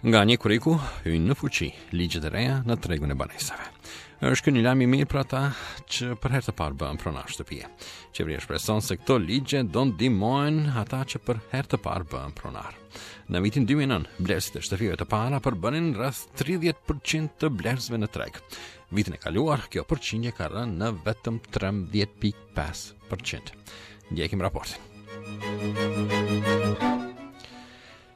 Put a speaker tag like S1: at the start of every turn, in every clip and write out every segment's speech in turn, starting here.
S1: Nga 1 korriku hyjnë në fuqi ligjet e reja në tregun e banesave. Është ky një lajm i mirë për ata që për herë të parë bëhen pronar shtëpie. Qeveria shpreson se këto ligje do ndihmojnë ata që për herë të parë bëhen pronar. Në vitin 2009, blerësit e shtëpive të para përbënin rreth 30% të blerësve në treg. Vitin e kaluar, kjo përqindje ka rënë në vetëm 13.5%. Ndjekim raportin.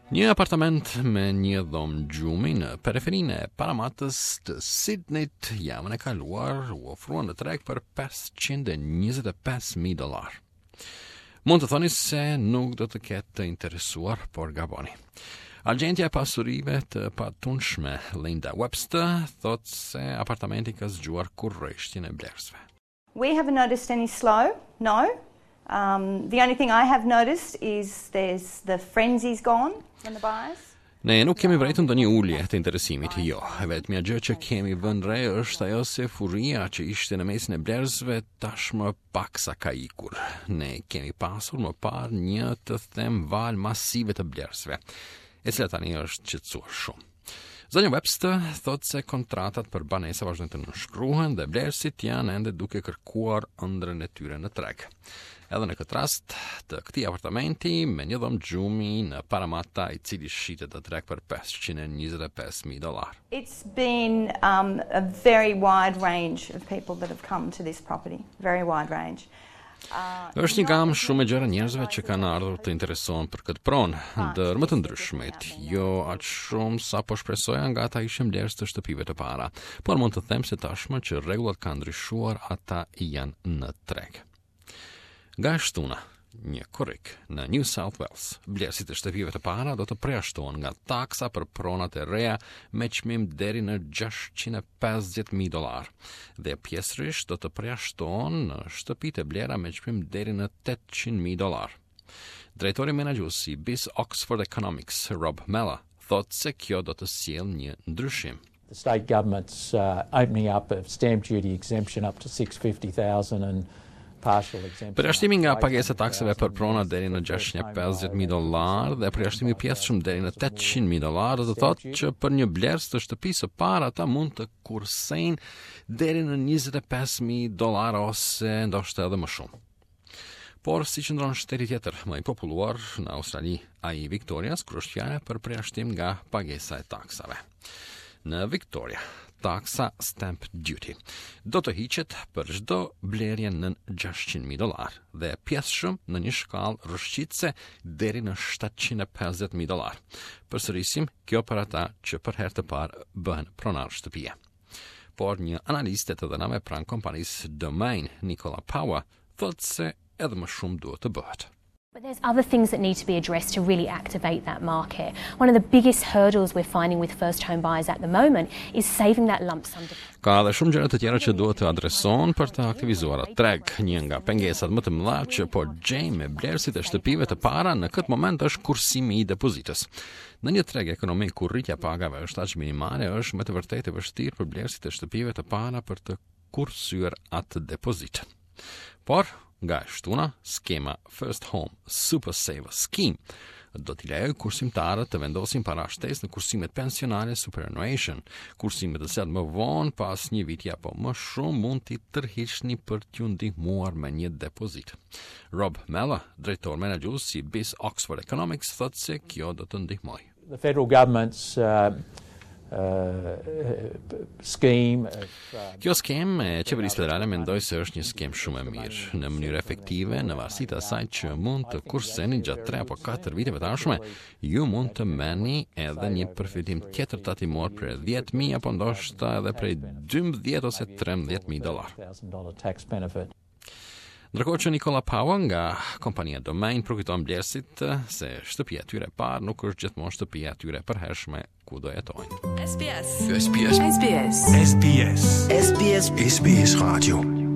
S1: Një apartament me një dhomë gjumi në periferinë e Paramatës të Sydneyt javën e kaluar u ofrua në treg për 525.000 dollarë. Mund të thoni se nuk do të ketë të interesuar, por gaboni. Agjentja e pasurive të patundshme Linda Webster thotë se apartamenti ka zgjuar kureshtjen e blerësve.
S2: We haven't noticed any slow, no. Um, the only thing I have noticed is there's the frenzy's gone from the buyers.
S1: Ne nuk kemi vërejtur ndonjë ulje të interesimit, jo. E vetmja gjë që kemi vënë re është ajo se furia që ishte në mesin e blerësve tashmë paksa ka ikur. Ne kemi pasur më parë një të them valë masive të blerësve, e cila tani është qetësuar shumë. Zonja Webster thotë se kontratat për banesa vazhdojnë të nënshkruhen dhe blerësit janë ende duke kërkuar ëndrrën e tyre në treg. Edhe në këtë rast të këtij apartamenti me një dhomë gjumi në Paramata i cili shitet në treg për 525.000 dollar.
S2: It's been um, a very wide range of people that have come to this property, very wide range.
S1: Është një gamë shumë e gjerë njerëzve që kanë ardhur të interesohen për këtë pronë, ndër më të ndryshmit, jo aq shumë sa po shpresoja nga ata ishin blerës të shtëpive të para, por mund të them se tashmë që rregullat kanë ndryshuar, ata janë në treg. Nga e shtuna, një korrik në New South Wales, blerësit e shtëpive të para do të përjashtohen nga taksa për pronat e reja me çmim deri në 650.000 dollar dhe pjesërisht do të përjashtohen në shtëpitë e blera me çmim deri në 800.000 dollar. Drejtori menaxhues i BIS Oxford Economics, Rob Mella, thotë se kjo do të sjellë një ndryshim.
S3: The state government's uh, opening up of stamp duty exemption up to 650,000 and partial exemption.
S1: Përjashtimi nga pagesa e taksave për prona deri në 650.000 dollar dhe përjashtimi i pjesshëm deri në 800.000 dollar do të thotë që për një blerës të shtëpisë së parë ata mund të kursejnë deri në 25.000 dollar ose ndoshta edhe më shumë. Por si qëndron shteti tjetër më i populluar në Australi, ai i Victorias, kur është fjala për përjashtim nga pagesa e taksave. Në Victoria, taksa stamp duty do të hiqet për çdo blerje nën 600.000 dollar dhe pjesshëm në një shkallë rrëshqitëse deri në 750.000 dollar. Përsërisim, kjo për ata që për herë të parë bëhen pronar shtëpie. Por një analiste e të dhënave pranë kompanisë Domain, Nicola Power, thotë se edhe më shumë duhet të bëhet.
S4: But there's other things that need to be addressed to really activate that market. One of the biggest hurdles we're finding with first home buyers at the moment is saving that lump sum deposit.
S1: Ka edhe shumë gjëra të tjera që duhet të adresohen për të aktivizuar atë treg. Një nga pengesat më të mëdha që po gjejmë me blerësit e shtëpive të para në këtë moment është kursimi i depozitës. Në një treg ekonomik ku rritja e pagave është aq minimale, është me të vërtetë e vështirë për blerësit e shtëpive të para për të kursyer atë depozitë. Por, nga e shtuna, skema First Home Super Saver Scheme do t'i lejojë kursimtarët të vendosin para shtesë në kursimet pensionale superannuation, kursime të cilat më vonë pas një viti apo më shumë mund t'i tërhiqni për t'ju ndihmuar me një depozitë. Rob Mella, drejtor menaxhues i BIS Oxford Economics, thotë se kjo do të ndihmojë.
S3: The federal government's uh, uh, scheme of uh,
S1: Kjo skemë e qeverisë federale mendoj se është një skemë shumë e mirë, në mënyrë efektive, në varësi të asaj që mund të kurseni gjatë 3 apo 4 viteve të ardhshme, ju mund të merrni edhe një përfitim tjetër tatimor prej 10.000 apo ndoshta edhe prej 12 ose 13.000 dollar.
S3: $1,000 tax benefit.
S1: Ndërkohë që Nicola Power nga kompania Domain përkujton blerësit se shtëpia e tyre e parë nuk është gjithmonë shtëpia e tyre e përhershme ku do jetojnë.
S5: SBS.
S6: SBS.
S5: SBS.
S6: SBS.
S5: SBS.
S6: SBS Radio.